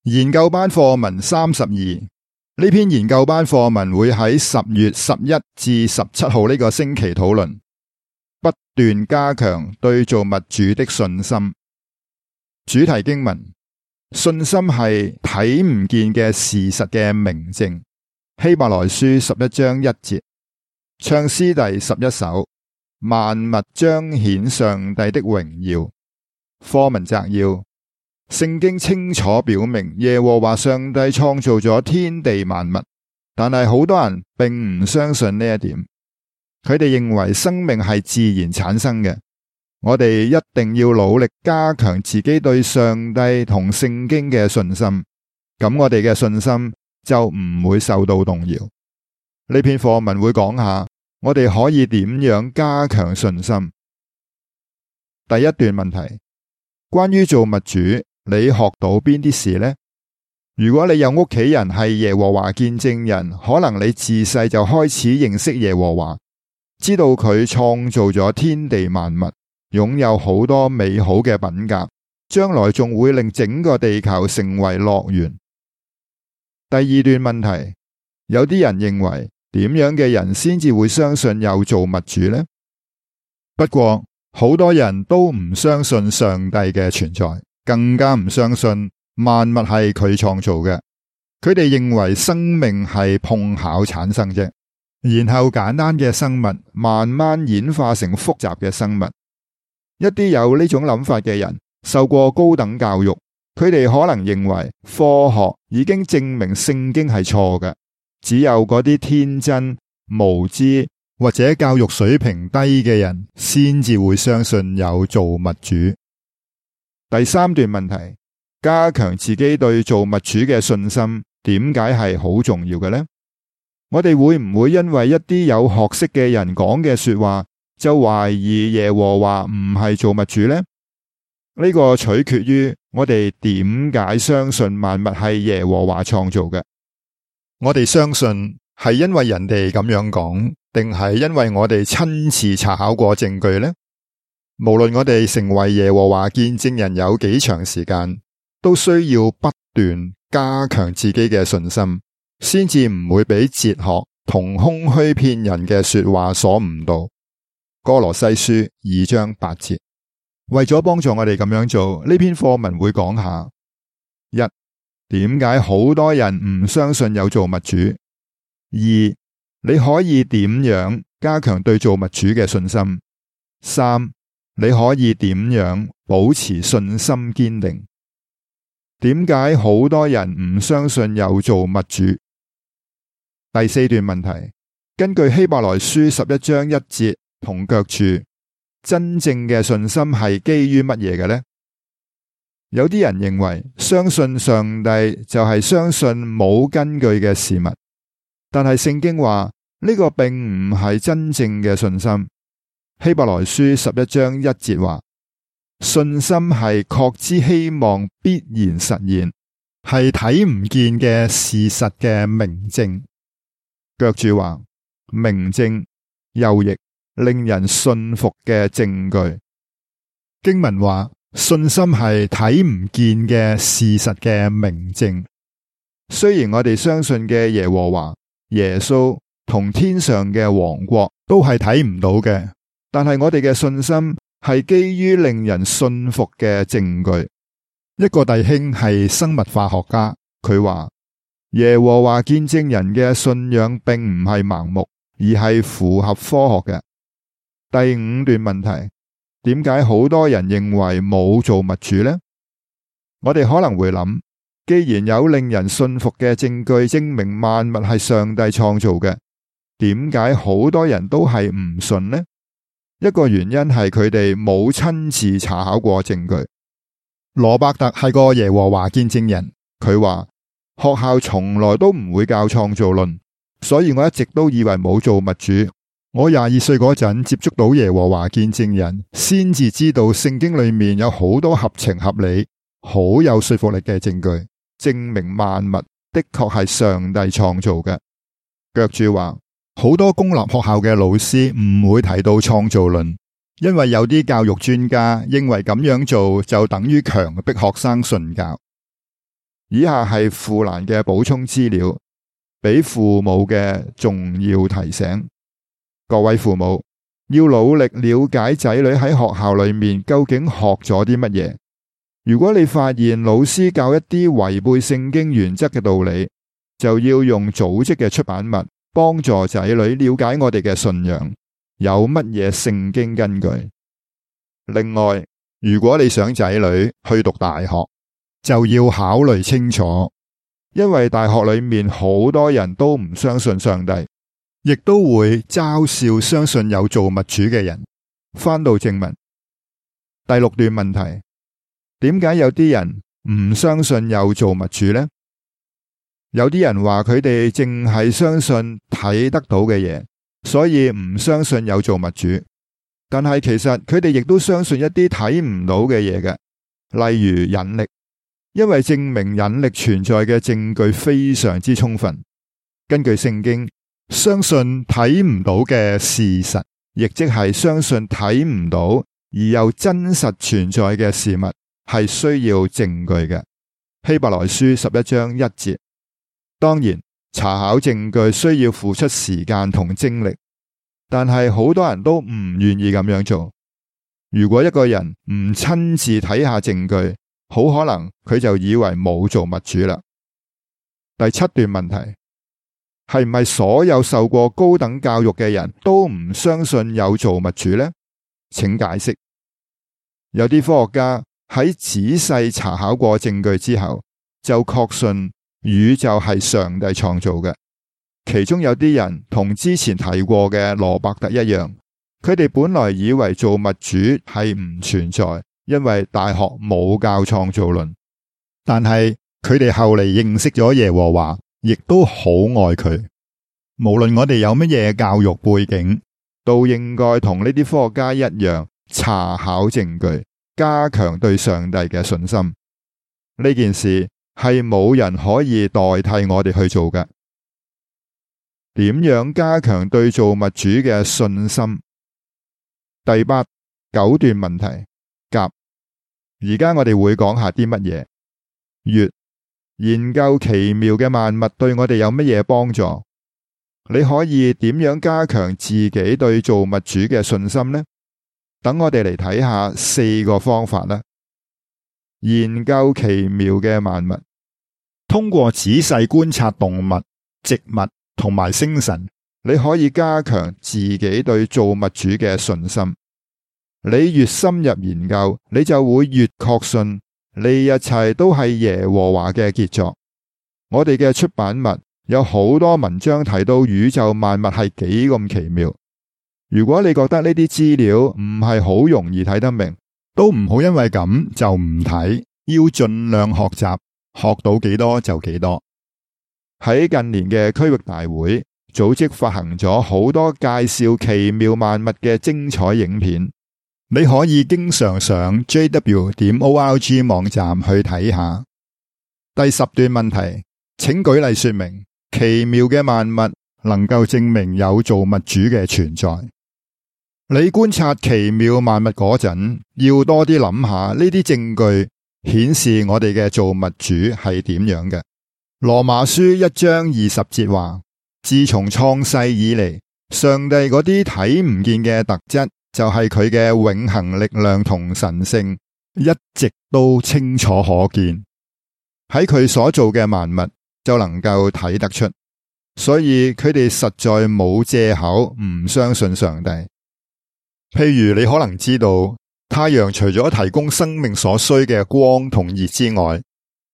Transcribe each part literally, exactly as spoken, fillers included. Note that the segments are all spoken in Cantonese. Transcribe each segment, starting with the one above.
研究班課文三十二，呢篇研究班課文會喺十月十一至十七號呢個星期討論，不斷加強對造物主的信心。主題經文：信心係睇唔見嘅事實嘅明證。希伯來書十一章一節。唱詩第十一首：萬物彰顯上帝的榮耀。課文摘要：聖經清楚表明耶和華上帝創造咗天地萬物，但係好多人並唔相信呢一點。佢哋認為生命係自然產生嘅。我哋一定要努力加強自己對上帝同聖經嘅信心，咁我哋嘅信心就唔會受到動搖。呢篇課文會講下我哋可以點樣加強信心。第一段問題：關於造物主，你學到邊啲事呢？如果你有屋企人係耶和華見證人，可能你自細就開始認識耶和華，知道佢創造咗天地萬物，擁有好多美好嘅品格，將來仲會令整個地球成為樂園。第二段問題：有啲人認為點樣嘅人先至會相信有造物主呢？不過好多人都唔相信上帝嘅存在，更加唔相信萬物係佢創造嘅。佢哋認為生命係碰巧產生啫，然後簡單嘅生物慢慢演化成複雜嘅生物。一啲有呢種諗法嘅人受過高等教育，佢哋可能認為科學已經證明聖經係錯嘅，只有嗰啲天真無知或者教育水平低嘅人先至會相信有造物主。第三段問題：加強自己對造物主嘅信心，點解係好重要嘅呢？我哋會唔會因為一啲有學識嘅人講嘅說話就懷疑耶和華唔係造物主呢？呢個取決於我哋點解相信萬物係耶和華創造嘅。我哋相信係因為人哋咁樣講，定係因為我哋親自查考過證據呢？無論我哋成為耶和華見證人有幾長時間，都需要不斷加強自己嘅信心，先至唔會俾哲學同空虛騙人嘅說話所誤導。歌羅西書二章八節。為咗幫助我哋咁樣做，呢篇課文會講下：一、點解好多人唔相信有造物主；二、你可以點樣加強對造物主嘅信心；三、你可以點樣保持信心堅定。點解好多人唔相信有造物主？第四段問題：根據希伯來書十一章一節同腳注，真正嘅信心係基於乜嘢嘅呢？有啲人認為相信上帝就係相信冇根據嘅事物，但係聖經話呢個並唔係真正嘅信心。希伯來書十一章一節話：信心係確知希望必然實現，係睇唔見嘅事實嘅明證。腳注話：明證又譯令人信服嘅證據。經文話信心係睇唔見嘅事實嘅明證。雖然我哋相信嘅耶和華、耶穌同天上嘅王國都係睇唔到嘅，但係我哋嘅信心係基於令人信服嘅證據。一個弟兄係生物化學家，佢話耶和華見證人嘅信仰並唔係盲目，而係符合科學嘅。第五段問題：點解好多人認為冇造物主呢？我哋可能會諗，既然有令人信服嘅證據證明萬物係上帝創造嘅，點解好多人都係唔信呢？一個原因係佢哋冇親自查考過證據。羅伯特係個耶和華見證人，佢話學校從來都唔會教創造論，所以我一直都以為冇造物主。我廿二歲嗰陣接觸到耶和華見證人，先至知道聖經裏面有好多合情合理、好有說服力嘅證據，證明萬物的確係上帝創造嘅。腳注話，好多公立學校嘅老師唔會提到創造論，因為有啲教育專家認為咁樣做就等於強迫學生信教。以下係富蘭嘅補充資料，俾父母嘅重要提醒。各位父母要努力了解仔女喺學校裏面究竟學咗啲乜嘢。如果你發現老師教一啲違背聖經原則嘅道理，就要用組織嘅出版物幫助仔女了解我哋嘅信仰有乜嘢聖經根據。另外，如果你想仔女去讀大學，就要考慮清楚，因為大學裏面好多人都唔相信上帝，亦都會嘲笑相信有造物主嘅人。返到正文，第六段問題，點解有啲人唔相信有造物主呢？有啲人話佢哋淨係相信睇得到嘅嘢，所以唔相信有造物主。但係其實佢哋亦都相信一啲睇唔到嘅嘢嘅，例如引力。因為證明引力存在嘅證據非常之充分。根據聖經，相信睇唔到嘅事實，亦即係相信睇唔到而又真實存在嘅事物，係需要證據嘅。希伯來書十一章一節。當然，查考證據需要付出時間同精力，但係好多人都唔願意咁樣做。如果一個人唔親自睇下證據，好可能佢就以為冇造物主啦。第七段問題，係唔係所有受過高等教育嘅人都唔相信有造物主呢？請解釋。有啲科學家喺仔細查考過證據之後，就確信宇宙係上帝創造嘅。其中有啲人同之前提過嘅羅伯特一樣，佢哋本來以為造物主係唔存在，因為大學冇教創造論。但係佢哋後嚟認識咗耶和華，亦都好愛佢。無論我哋有乜嘢教育背景，都應該同呢啲科學家一樣，查考證據，加強對上帝嘅信心。呢件事係冇人可以代替我哋去做嘅。點樣加強對造物主嘅信心？第八、九段問題甲。而家我哋會講下啲乜嘢？乙、研究奇妙嘅萬物對我哋有乜嘢幫助？你可以點樣加強自己對造物主嘅信心呢？等我哋嚟睇下四個方法啦。研究奇妙嘅萬物，通過仔細觀察動物、植物同埋星辰，你可以加強自己對造物主嘅信心。你越深入研究，你就會越確信呢一切都係耶和華嘅傑作。我哋嘅出版物有好多文章提到宇宙萬物係幾咁奇妙。如果你覺得呢啲資料唔係好容易睇得明，都唔好因為咁就唔睇，要盡量學習，學到幾多就幾多。喺近年嘅區域大會，組織發行咗好多介紹奇妙萬物嘅精彩影片。你可以經常上 j w 點 org 網站去睇下。第十段問題，請舉例說明奇妙嘅萬物能夠證明有造物主嘅存在。你觀察奇妙萬物嗰陣，要多啲諗下呢啲證據顯示我哋嘅造物主係點樣嘅。羅馬書一章二十節話，自從創世以嚟，上帝嗰啲睇唔見嘅特質，就係佢嘅永恆力量同神性，一直都清楚可見。喺佢所做嘅萬物就能夠睇得出，所以佢哋實在冇借口唔相信上帝。譬如你可能知道，太陽除咗提供生命所需嘅光同熱之外，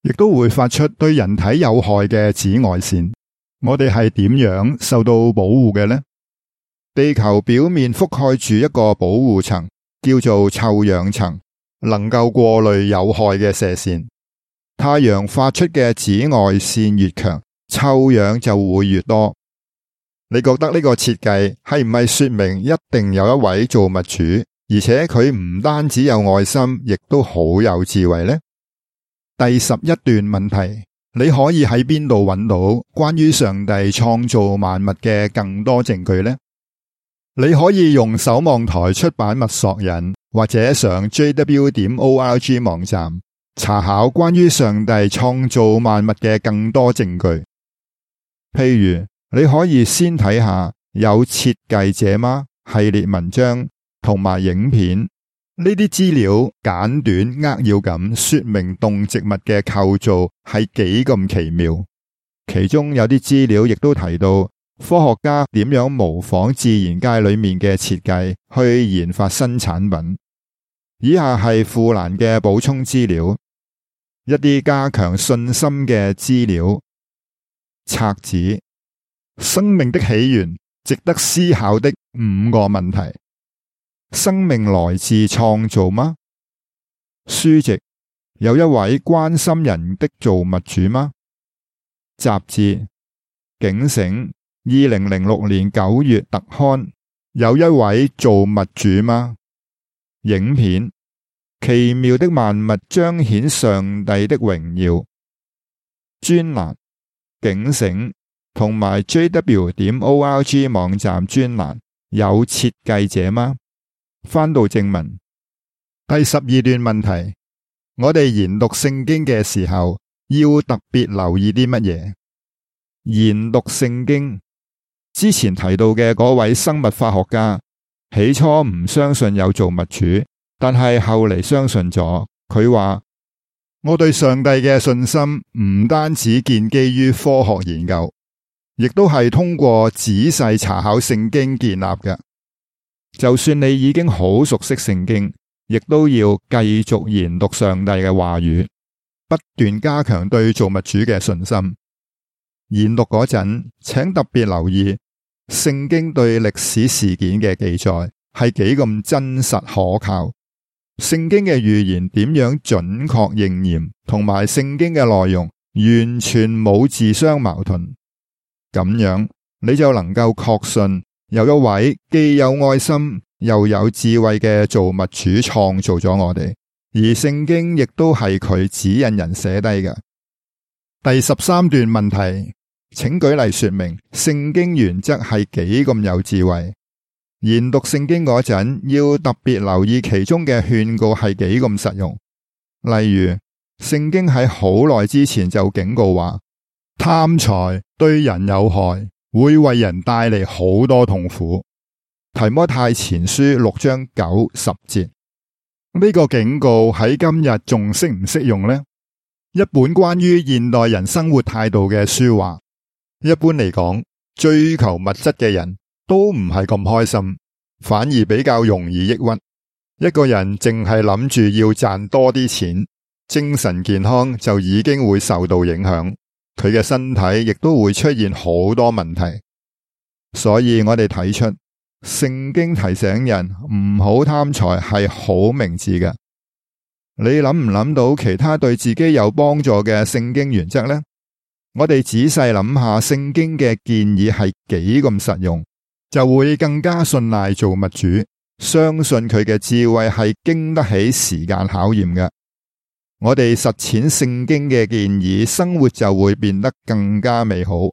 亦都會發出對人體有害嘅紫外線。我哋係點樣受到保護嘅呢？地球表面覆蓋住一個保護層，叫做臭氧層，能夠過濾有害嘅射線。太陽發出嘅紫外線越強，臭氧就會越多。你覺得呢個設計係唔係說明一定有一位造物主，而且佢唔單止有愛心，亦都好有智慧呢？第十一段問題，你可以喺邊度揾到關於上帝創造萬物嘅更多證據呢？你可以用守望台出版物索引，或者上 j w 點 org 網站查考關於上帝創造萬物嘅更多證據。譬如，你可以先睇下有設計者嗎系列文章同埋影片，呢啲資料簡短扼要咁說明動植物嘅構造係幾咁奇妙。其中有啲資料亦都提到科學家點樣模仿自然界裏面嘅設計去研發新產品。以下係富蘭嘅補充資料，一啲加強信心嘅資料。冊子：生命的起源，值得思考的五個問題。生命來自創造嗎？書籍：有一位關心人的造物主嗎？雜誌：警醒，二零零六年九月特刊。有一位造物主嗎？影片：奇妙的萬物彰顯上帝的榮耀。專欄：警醒同埋 J W 點 O R G 網站專欄。有設計者嗎？翻到正文，第十二段問題：我哋研讀聖經嘅時候，要特別留意啲乜嘢？研讀聖經之前提到嘅嗰位生物化學家，起初唔相信有造物主，但係後嚟相信咗。佢話：我對上帝嘅信心唔單止建基於科學研究，亦都係通過仔細查考聖經建立嘅。就算你已經好熟悉聖經，亦都要繼續研讀上帝嘅話語，不斷加強對造物主嘅信心。研讀嗰陣，請特別留意聖經對歷史事件嘅記載係幾咁真實可靠，聖經嘅預言點樣準確應驗，同埋聖經嘅內容完全冇自相矛盾。咁樣你就能夠確信有一位既有愛心又有智慧嘅造物主創造咗我哋，而聖經亦都係佢指引人寫低嘅。第十三段問題，請舉例說明聖經原則係幾咁有智慧。研讀聖經嗰陣，要特別留意其中嘅勸告係幾咁實用。例如，聖經喺好耐之前就警告話，貪財對人有害，會為人帶嚟好多痛苦。提摩太前書六章九十節，呢個警告喺今日仲適唔適用呢？一本關於現代人生活態度嘅書話，一般嚟講，追求物質嘅人都唔係咁開心，反而比較容易抑鬱。一個人淨係諗住要賺多啲錢，精神健康就已經會受到影響，佢嘅身體亦都會出現好多問題。所以我哋睇出聖經提醒人唔好貪財係好明智嘅。你諗唔諗到其他對自己有幫助嘅聖經原則呢？我哋仔細諗下聖經嘅建議係幾咁實用，就會更加信賴造物主，相信佢嘅智慧係經得起時間考驗嘅。我哋實踐聖經嘅建議，生活就會變得更加美好。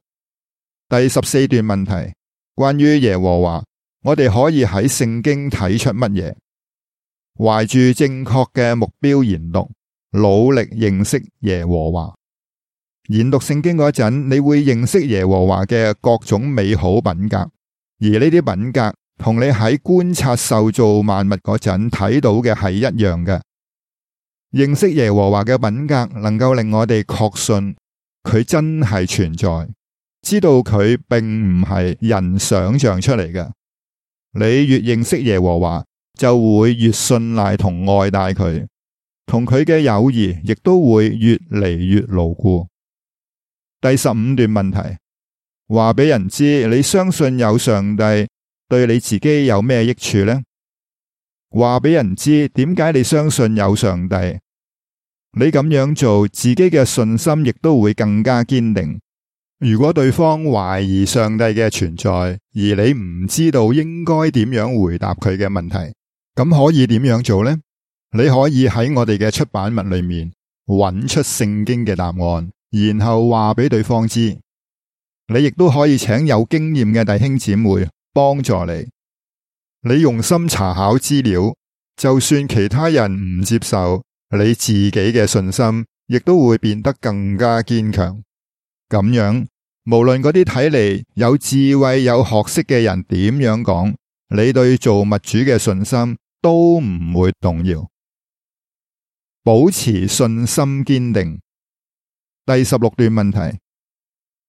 第十四段問題，關於耶和華，我哋可以喺聖經睇出乜嘢？懷住正確嘅目標研讀，努力認識耶和華。研讀聖經嗰陣，你會認識耶和華嘅各種美好品格，而呢啲品格同你喺觀察受造萬物嗰陣睇到嘅係一樣嘅。認識耶和華嘅品格，能夠令我哋確信佢真係存在，知道佢並唔係人想象出嚟嘅。你越認識耶和華，就會越信賴同愛戴佢，同佢嘅友誼亦都會越嚟越牢固。第十五段問題，話俾人知你相信有上帝，對你自己有咩益處呢？話俾人知點解你相信有上帝，你咁樣做，自己嘅信心亦都會更加堅定。如果對方懷疑上帝嘅存在，而你唔知道應該點樣回答佢嘅問題，咁可以點樣做呢？你可以喺我哋嘅出版物裏面揾出聖經嘅答案，然後話俾對方知。你亦都可以請有經驗嘅弟兄姊妹幫助你。你用心查考資料，就算其他人唔接受，你自己嘅信心亦都會變得更加堅強。咁樣，無論嗰啲睇嚟有智慧有學識嘅人點樣講，你對造物主嘅信心都唔會動搖。保持信心堅定。第十六段問題：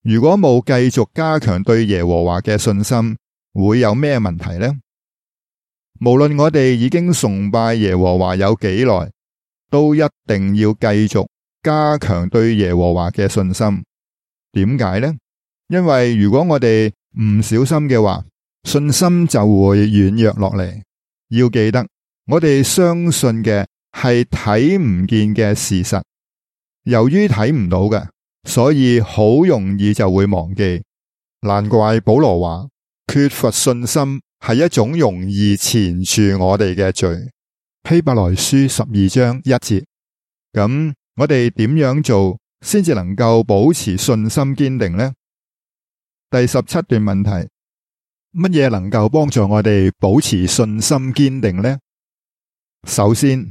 如果冇繼續加強對耶和華嘅信心，會有咩問題呢？無論我哋已經崇拜耶和華有幾耐，都一定要繼續加強對耶和華嘅信心。點解呢？因為如果我哋唔小心嘅話，信心就會軟弱落嚟。要記得，我哋相信嘅係睇唔見嘅事實，由於睇唔到嘅，所以好容易就會忘記。難怪保羅話，缺乏信心係一種容易纏住我哋嘅罪。希伯來書十二章一節。咁我哋點樣做先至能夠保持信心堅定呢？第十七段問題：乜嘢能夠幫助我哋保持信心堅定呢？首先，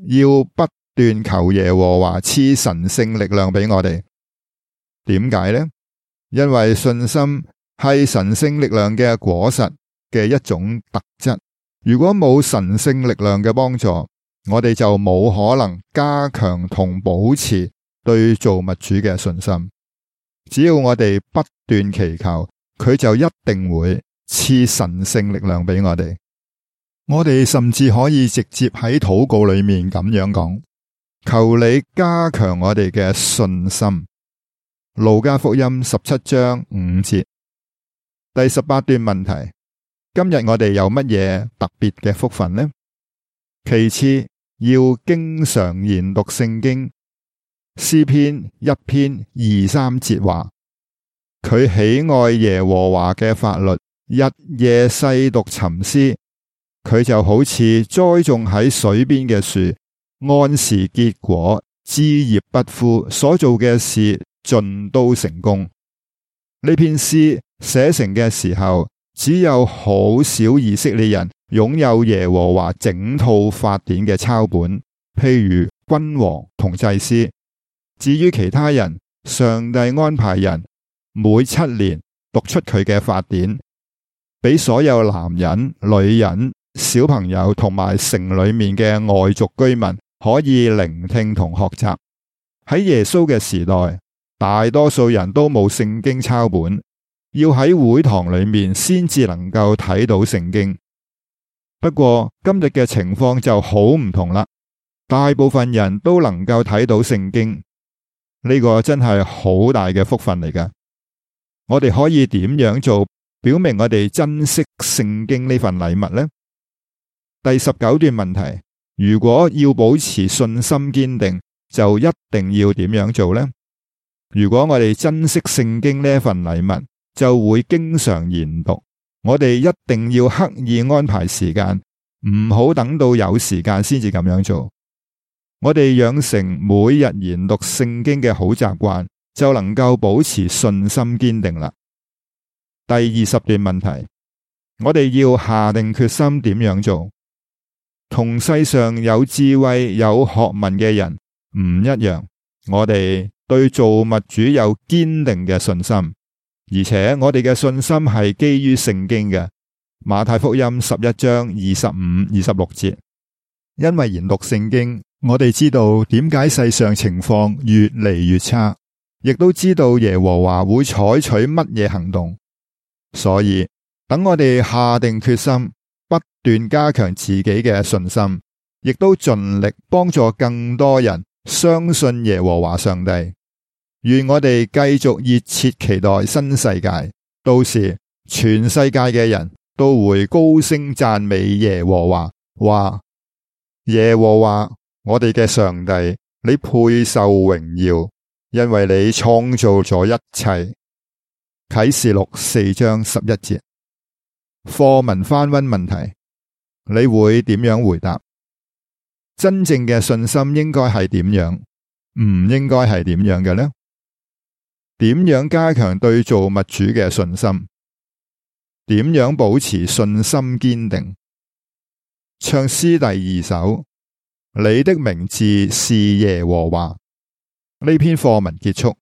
要不斷求耶和華賜神聖力量俾我哋。點解呢？因為信心係神聖力量嘅果實嘅一種特質。如果冇神聖力量嘅幫助，我哋就冇可能加強同保持對造物主嘅信心。只要我哋不斷祈求，佢就一定會賜神聖力量俾我哋。我哋甚至可以直接喺禱告裏面咁樣講：求你加強我哋嘅信心。路加福音十七章五節。第十八段問題：今日我哋有乜嘢特別嘅福分呢？其次，要經常研讀聖經。詩篇一篇二三節話：佢喜愛耶和華嘅法律，日夜細讀沉思。佢就好似栽種喺水邊嘅樹，按時結果，枝葉不枯，所做嘅事盡都成功。呢篇詩寫成嘅時候，只有好少以色列人擁有耶和華整套法典嘅抄本，譬如君王同祭司。至於其他人，上帝安排人每七年讀出佢嘅法典，俾所有男人、女人、小朋友同埋城裏面嘅外族居民可以聆聽同學習。喺耶穌嘅時代，大多數人都冇聖經抄本，要喺會堂裏面先至能夠睇到聖經。不過今日嘅情況就好唔同啦，大部分人都能夠睇到聖經。呢個真係好大嘅福分嚟㗎。我哋可以點樣做，表明我哋珍惜聖經呢份禮物呢？第十九段問題：如果要保持信心堅定，就一定要點樣做呢？如果我哋珍惜聖經呢份禮物，就會經常研讀。我哋一定要刻意安排時間，唔好等到有時間先至咁樣做。我哋養成每日研讀聖經嘅好習慣，就能夠保持信心堅定啦。第二十段問題：我哋要下定決心點樣做？同世上有智慧有學問嘅人唔一樣，我哋對造物主有堅定嘅信心，而且我哋嘅信心係基於聖經嘅。馬太福音十一章二十五、二十六節。因為研讀聖經，我哋知道點解世上情況越嚟越差，亦都知道耶和華會採取乜嘢行動。所以等我哋下定決心，不斷加強自己嘅信心，亦都盡力幫助更多人相信耶和華上帝。願我哋繼續熱切期待新世界，到時全世界嘅人都會高聲讚美耶和華，話：耶和華，我哋嘅上帝，你配受榮耀，因為你創造咗一切。啟示錄四章十一節。課文翻溫問題，你會點樣回答？真正嘅信心應該係點樣？唔應該係點樣嘅呢？點樣加強對造物主嘅信心？點樣保持信心堅定？唱詩第二首，你的名字是耶和華。呢篇課文結束。